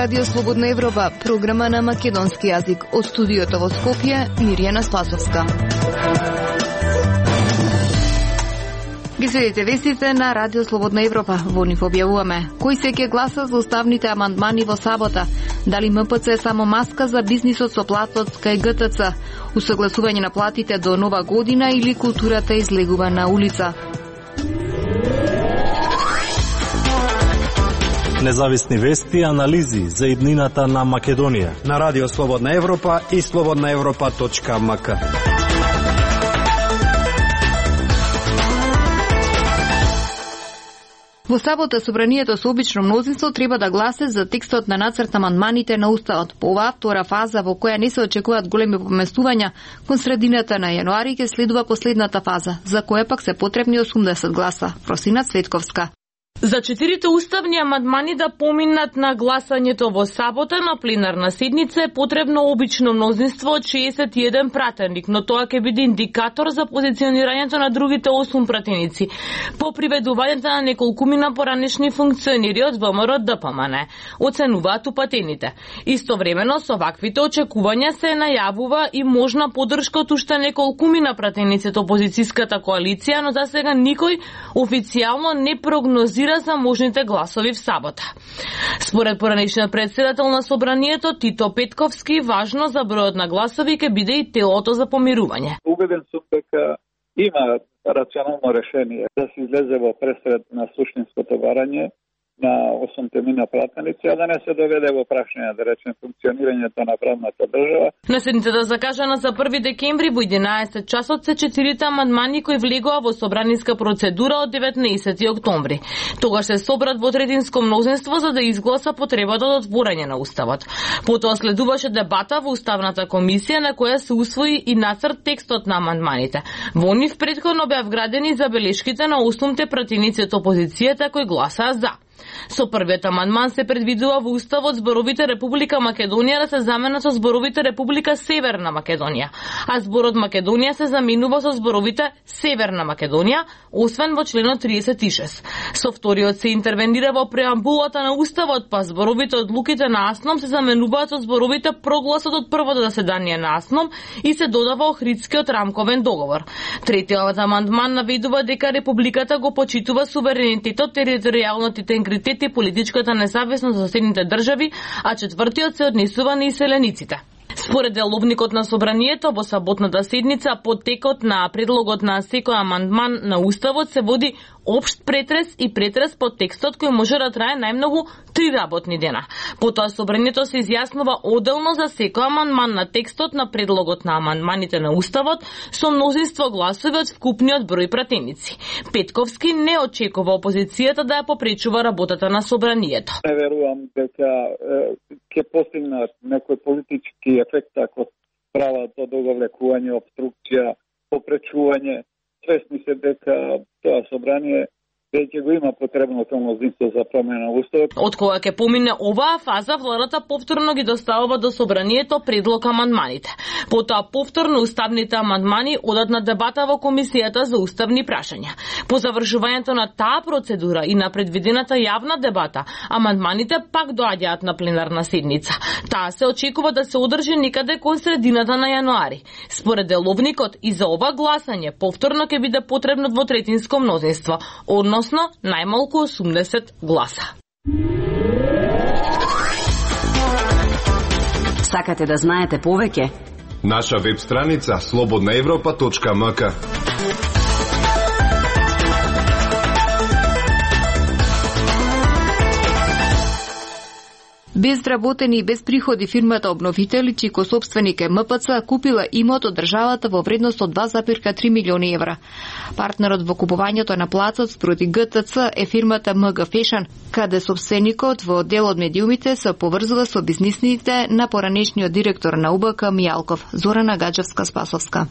Радио Слободна Европа, програма на македонски јазик. Од студиото во Скопје, Мирјана Спасовска. Ги следите вестите на Радио Слободна Европа. Во нив објавуваме кој се ќе гласа за уставните амандмани во сабота, дали МПЦ е само маска за бизнисот со платот кај ГТЦ, усогласување на платите до нова година или културата излегува на улица. Независни вести и анализи за иднината на Македонија на Радио Слободна Европа и slobodnaevropa.mk. Во сабота собранието со обично мнозинство треба да гласе за текстот на нацрт амандманите на Уставот. По оваа втора фаза во која не се очекуваат големи поместувања, кон средината на јануари ќе следува последната фаза, за која пак се потребни 80 гласа. Просина Цветковска. За 4 уставни амандмани да поминат на гласањето во сабота на пленарна седница е потребно обично мнозинство од 61 пратеник, но тоа ќе биде индикатор за позиционирањето на другите 8 пратеници по приведувањето на неколкумина поранешни функционери од ВМРО ДПМН, оценуваат упатените. Истовремено со ваквите очекувања се најавува и можна подршка од уште неколкумина пратеници од опозицијската коалиција, но за сега никој официјално не прогнозира за можните гласови в сабота. Според поранешниот председател на собранието Тито Петковски, важно за бројот на гласови ќе биде и телото за помирување. Убеден сум дека има рационално решение да се излезе во пресред на суштинското барање на 8 мина пратеници, а да не се доведе во прашање, да речем, функционирањето на правната држава. На седницата закажана за 1 декември во 11 часот се 4 амандмани кои влегоа во собраниска процедура од 19 октомври. Тогаш се собрат во третинско мнозинство за да изгласа потребата од отворање на Уставот. Потоа следуваше дебата во Уставната комисија на која се усвои и нацрт текстот на амандманите. Во нив претходно беа вградени забелешките на 8 пратеници од опозицијата кои гласаа за. Со првиот амандман се предвидува во Уставот зборовите Република Македонија да се заменат со зборовите Република Северна Македонија, а зборот Македонија се заменува со зборовите Северна Македонија, освен во членот 36. Со вториот се интервенира во преамбулата на Уставот, па зборовите одлуките на АСНОМ се заменуваат со зборовите прогласот од првото заседание на АСНОМ и се додава Охридскиот рамковен договор. Третиот амандман наведува дека Републиката го почитува суверенитетот, територијалниот интегритет и политичката независност за соседните држави, а четвртиот се однесува на иселениците. Според деловникот на собранието, во саботната седница, по текот на предлогот на секој амандман на Уставот се води општ претрес и претрес по текстот кој може да трае најмногу 3 работни дена. Потоа собранието се изјаснува одделно за секој амандман на текстот на предлогот на амандманите на Уставот со мнозинство гласови од вкупниот број пратеници. Петковски не очекува опозицијата да ја попречува работата на собранието. Не верувам дека ќе постигнат некој политички ефект ако прават до договлекување, обструкција, попречување. Свесни се дека тоа собрание веќе го има потребното мнозинство за промена на Уставот. Од кога ќе помине оваа фаза, владата повторно ги доставува до собранието предлог амандманите. Потоа повторно уставните амандмани одат на дебата во Комисијата за уставни прашања. По завршувањето на таа процедура и на предвидената јавна дебата, амандманите пак доаѓаат на пленарна седница. Таа се очекува да се одржи некаде кон средината на јануари. Според деловникот, и за ова гласање повторно ќе биде потребно двотретинско мнозинство, односно најмалку 80 гласа. Сакате да знаете повеќе? Наша веб страница slobodnaevropa.mk. Без вработени и без приходи фирмата Обновители, чико собственик е МПЦ, купила имот од државата во вредност од 2,3 милиони евра. Партнерот во купувањето на плацот спроти ГТЦ е фирмата МГ Фешн, каде собственикот во дел од медиумите се поврзува со бизнисните на поранешниот директор на УБК Мијалков, Зорана Гаджевска-Спасовска.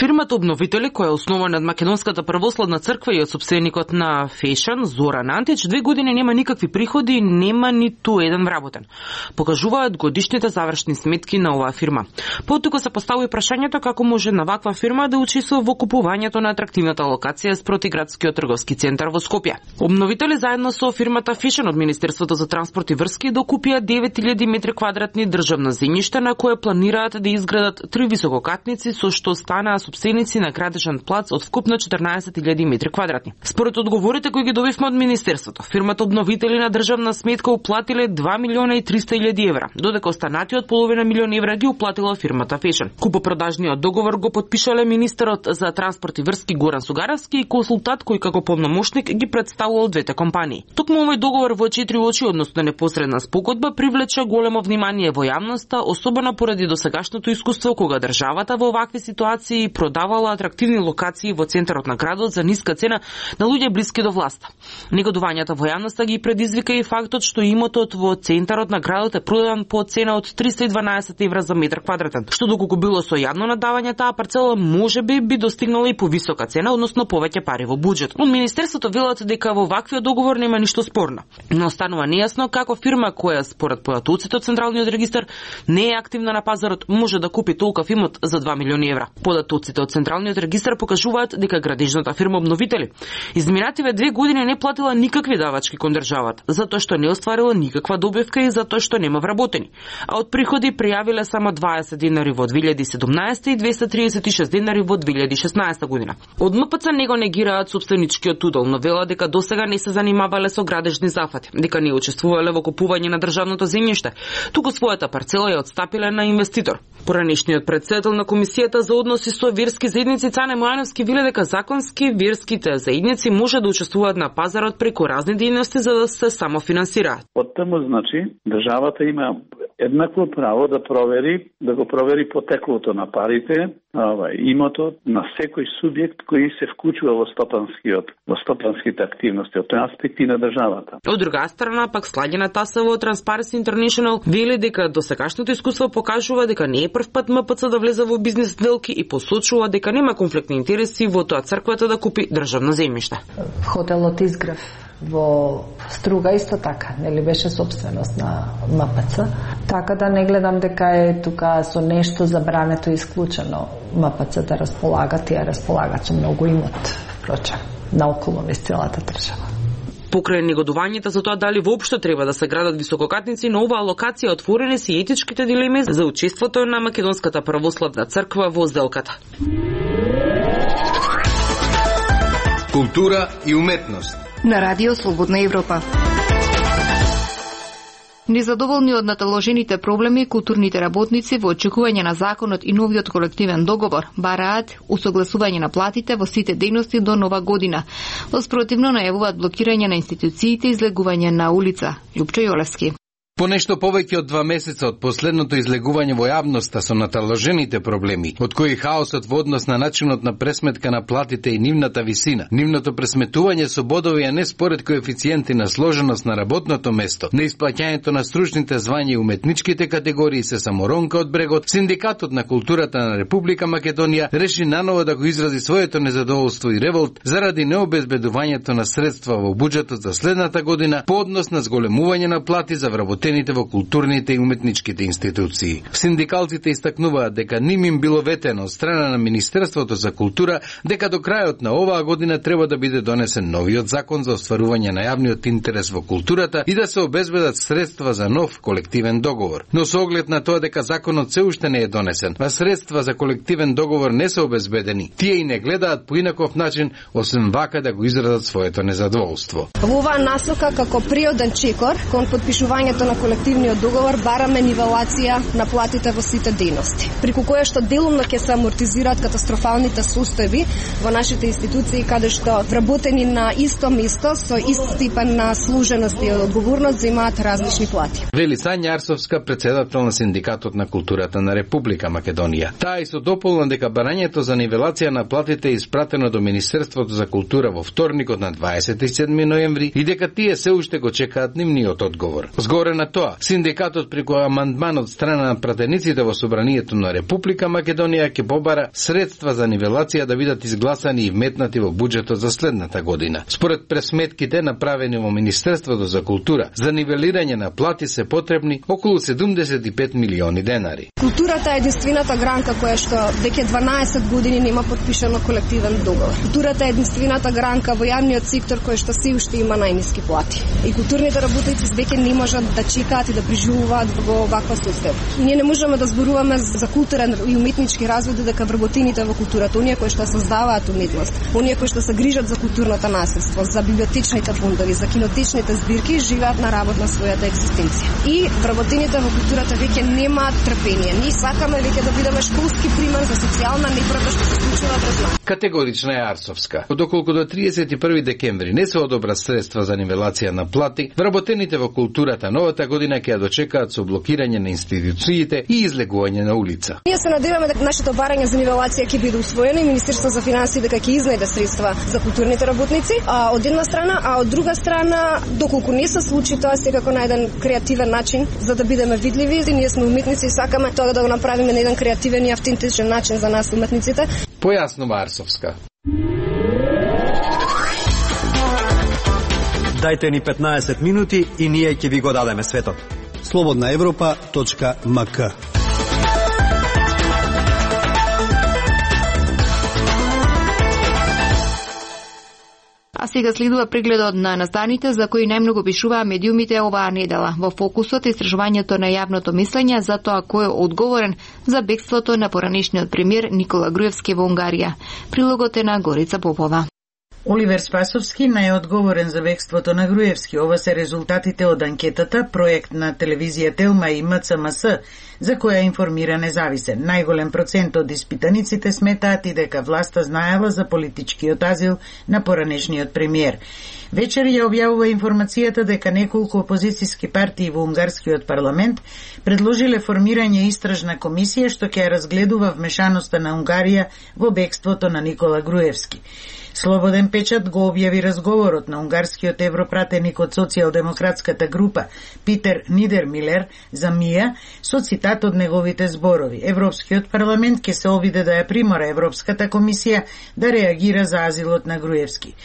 Фирмата Обновители, која е основана од Македонската православна црква и од сопственикот на Фешн, Зоран Антич, 2 години нема никакви приходи и нема ниту еден вработен. Покажуваат годишните завршни сметки на оваа фирма. Потука се постави прашањето како може на ваква фирма да учесува во купувањето на атрактивната локација спроти градскиот трговски центар во Скопје. Обновители заедно со фирмата Фешн од Министерството за транспорт и врски докупија 9000 метри квадратни државна земјиште на кое планираат да изградат 3 висококатници со што станаа сопственици на градежен плац од вкупно 14000 метри квадратни. Според одговорите кои ги добивме од Министерството, фирмата Обновители на државна сметка уплатиле 2.300.000 евра, додека останатиот половина милион евра ги уплатила фирмата Фешн. Купопредажниот договор го потпишале министерот за транспорт и врски Горан Сугаровски и консултант кој како полномошник ги представувал двете компании. Токму овој договор во 4 очи, односно непосредна спогодба, привлече големо внимание во јавноста, особено поради досегашното искуство кога државата во овакви ситуации продавала атрактивни локации во центарот на градот за ниска цена на луѓе блиски до власта. Негодувањата во јавноста ги предизвика и фактот што имотот во центарот на градот е продаден по цена од 312 евра за метар квадратен, што доколку било со јавно надавање таа парцела можеби би достигнала и повисока цена, односно повеќе пари во буџет. Од Министерството велат дека во ваквиот договор нема ништо спорно, но останува нејасно како фирма која според податоците од Централниот регистар не е активна на пазарот може да купи толков имот за 2 милиони евра. Податоците од Централниот регистар покажуваат дека градежната фирма Обновители изминативе 2 години не платила никакви давачки кон државата, затоа што не остварила никаква добивка и затоа што нема вработени. А од приходи пријавиле само 20 денари во 2017 и 236 денари во 2016 година. Од МПЦ не го негираат собственичкиот удел, но вела дека досега не се занимавале со градежни зафати, дека не учествувале во купување на државното земјиште, туку својата парцела ја отстапиле на инвеститор. Поранешниот председател на Комисијата за односи со верски заедници Цане Мојановски веле дека законски верските заедници може да учествуваат на пазарот преку разни дејности за да се самофинансираат. Од таму значи државата има еднакво право да го провери потеклото на парите, имотот на секој субјект кој се вклучува во стопанските активности, од тој аспект и на државата. Од друга страна, пак Сладјана Тасова од Transparency International вели дека досегашното искуство покажува дека не е прв пат МПЦ да влезе во бизнес сделки и посочува дека нема конфликтни интереси во тоа црквата да купи државно земјиште. Хотелот Изгрев во Струга исто така, нели беше собственост на МПЦ, така да не гледам дека е тука со нешто забрането и исклучено МПЦ да располага, тие располагаат со многу имот, впрочем, наоколу низ целата држава. Покрај негодувањето за тоа дали воопшто треба да се градат висококатници, на оваа локација отворени се етичките дилеми за учеството на Македонската православна црква во сделката. Култура и уметност на Радио Слободна Европа. Незадоволни од наталожените проблеми, културните работници во очекување на законот и новиот колективен договор бараат усогласување на платите во сите дејности до нова година. Воспротивно најавуваат блокирање на институциите и излегување на улица. Љупчо Јолевски. По нешто повеќе од 2 месеца од последното излегување во јавноста со наталожените проблеми, од кои хаосот во однос на начинот на пресметка на платите и нивната висина, нивното пресметување со бодови, а не според коефициенти на сложеност на работното место, на исплаќањето на стручните звања и уметничките категории се саморонка од брегот, Синдикатот на културата на Република Македонија реши наново да го изрази своето незадоволство и револт заради необезбедувањето на средства во буџетот за следната година по однос на зголемување на плати за вработените во културните и уметничките институции. Синдикалците истакнуваат дека ним им било ветено од страна на Министерството за култура дека до крајот на оваа година треба да биде донесен новиот закон за остварување на јавниот интерес во културата и да се обезбедат средства за нов колективен договор. Но со оглед на тоа дека законот се уште не е донесен, а средства за колективен договор не се обезбедени, тие и не гледаат по инаков начин, освен вака да го изразат своето незадоволство. Во оваа насока, како приоден чекор кон потпишувањето на колективниот договор, бараме нивелација на платите во сите дејности, преку која што делумно ќе се амортизираат катастрофалните состојби во нашите институции, каде што вработени на исто место со ист степен на служеност и одговорност земаат различни плати. Вели Сања Арсовска, председател на Синдикатот на културата на Република Македонија. Таа исто дополна дека барањето за нивелација на платите е испратено до Министерството за култура во вторникот на 27 ноември и дека тие се уште го чекаат нивниот одговор. Згоре на тоа, синдикатот преку амандман од страна на пратениците во Собранието на Република Македонија ќе побара средства за нивелација да бидат изгласани и вметнати во буџетот за следната година. Според пресметките направени во Министерството за култура, за нивелирање на плати се потребни околу 75 милиони денари. Културата е единствената гранка која што веќе 12 години нема подпишано колективен договор. Културата е единствената гранка во јавниот сектор кој што се уште има најниски плати. И културните работници веќе не можат да чекаат и да преживуваат во ваква состојба. Ние не можеме да зборуваме за културен и уметнички развој дека вработените во културата, оние кои што создаваат уметност, оние кои што се грижат за културното наследство, за библиотечните фондови, за кинотечните збирки, живеат на работ на својата екзистенција. И вработените во културата веќе немаат трпение. Ние сакаме веќе да бидеме школски пример за социјална неправда што се случува пред нас. Категорична е Арсовска. Доколку до 31 декември не се одобра средства за нивелација на плати, вработените во културата новата година ќе ја дочекаат со блокирање на институциите и излегување на улица. Ние се надеваме дека нашето барање за нивелација ќе биде усвоено и Министерството за финансии дека ќе изнајде средства за културните работници, од една страна, а од друга страна, доколку не се случи тоа секако на еден креативен начин за да бидеме видливи, и ние сме уметници и сакаме тоа да го направиме на еден креативен и автентичен начин за нас уметниците. Појаснува Арсовска. Дајте ни 15 минути и ние ќе ви го дадеме светот. slobodnaevropa.mk. А сега следува прегледот на настаните за кои најмногу пишуваа медиумите оваа недела. Во фокусот истражувањето на јавното мислење за тоа кој е одговорен за бегството на поранешниот премиер Никола Груевски во Унгарија. Прилогот е на Горица Попова. Оливер Спасовски најодговорен за бегството на Груевски. Ова се резултатите од анкетата, проект на телевизија Телма и МЦМС, за која информира Независен. Најголем процент од испитаниците сметаат и дека власта знаела за политичкиот азил на поранешниот премиер. Вечер ја објавува информацијата дека неколку опозицијски партии во унгарскиот парламент предложиле формирање истражна комисија што ќе разгледува вмешаноста на Унгарија во бегството на Никола Груевски. Слободен печат го објави разговорот на унгарскиот европратеник од социјалдемократската група Питер Нидермилер за МИА со цитат од неговите зборови. Европскиот парламент ќе се обиде да ја примора Европската комисија да реагира за азилот на Груевски.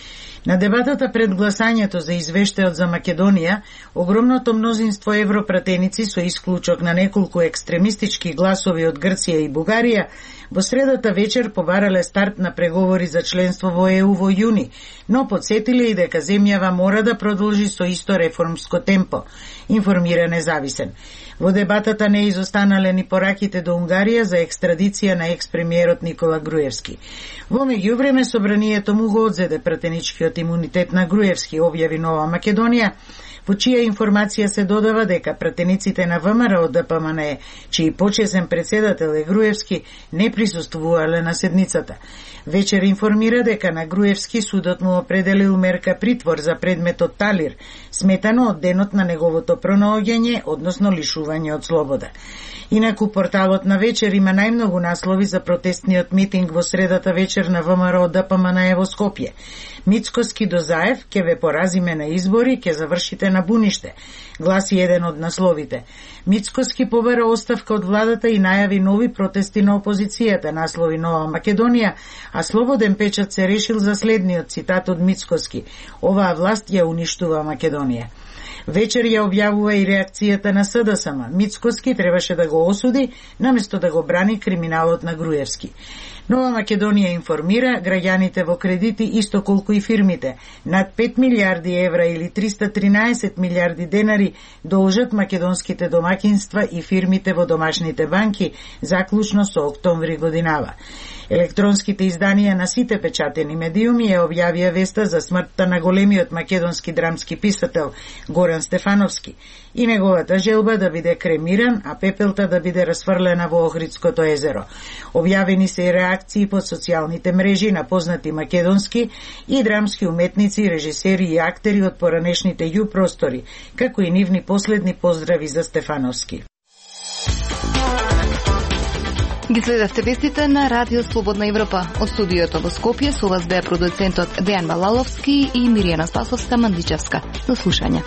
На дебатата пред гласањето за извештајот за Македонија, огромното мнозинство европратеници со исклучок на неколку екстремистички гласови од Грција и Бугарија во средата вечер побарале старт на преговори за членство во ЕУ во јуни, но подсетиле и дека земјава мора да продолжи со исто реформско темпо, информира Независен. Во дебатата не изостанале ни пораките до Унгарија за екстрадиција на екс-премиерот Никола Груевски. Во меѓувреме собранието му го одзеде пратеничкиот имунитет на Груевски, објави Нова Македонија, во чија информација се додава дека пратениците на ВМРО од ДПМН, чиј почесен председател е Груевски, не присуствувале на седницата. Вечер информира дека на Груевски судот му определил мерка притвор за предметот талир, сметано од денот на неговото пронаоѓање, односно лишување од слобода. Инаку порталот на Вечер има најмногу наслови за протестниот митинг во средата вечер на ВМРО ДПМН во Скопје. Мицкоски до Заев, ке ве поразиме на избори, ке завршите на буниште, гласи еден од насловите. Мицкоски побара оставка од владата и најави нови протести на опозицијата, наслови Нова Македонија, а Слободен печат се решил за следниот цитат од Мицкоски: оваа власт ја уништува Македонија. Вечер ја објавува и реакцијата на СДСМ. Мицкоски требаше да го осуди, наместо да го брани криминалот на Груевски. Нова Македонија информира граѓаните во кредити исто колку и фирмите. Над 5 милиарди евра или 313 милиарди денари должат македонските домакинства и фирмите во домашните банки, заклучно со октомври годинава. Електронските изданија на сите печатени медиуми ја објавија веста за смртта на големиот македонски драмски писател Горан Стефановски и неговата желба да биде кремиран, а пепелта да биде расфрлена во Охридското езеро. Објавени се и реакции по социјалните мрежи на познати македонски и драмски уметници, режисери и актери од поранешните ју простори, како и нивни последни поздрави за Стефановски. Ги следевте вестите на Радио Слободна Европа. Од студиото во Скопје со вас беа продуцентот Дејан Балаловски и Миријана Спасовска-Мандичевска. До слушање.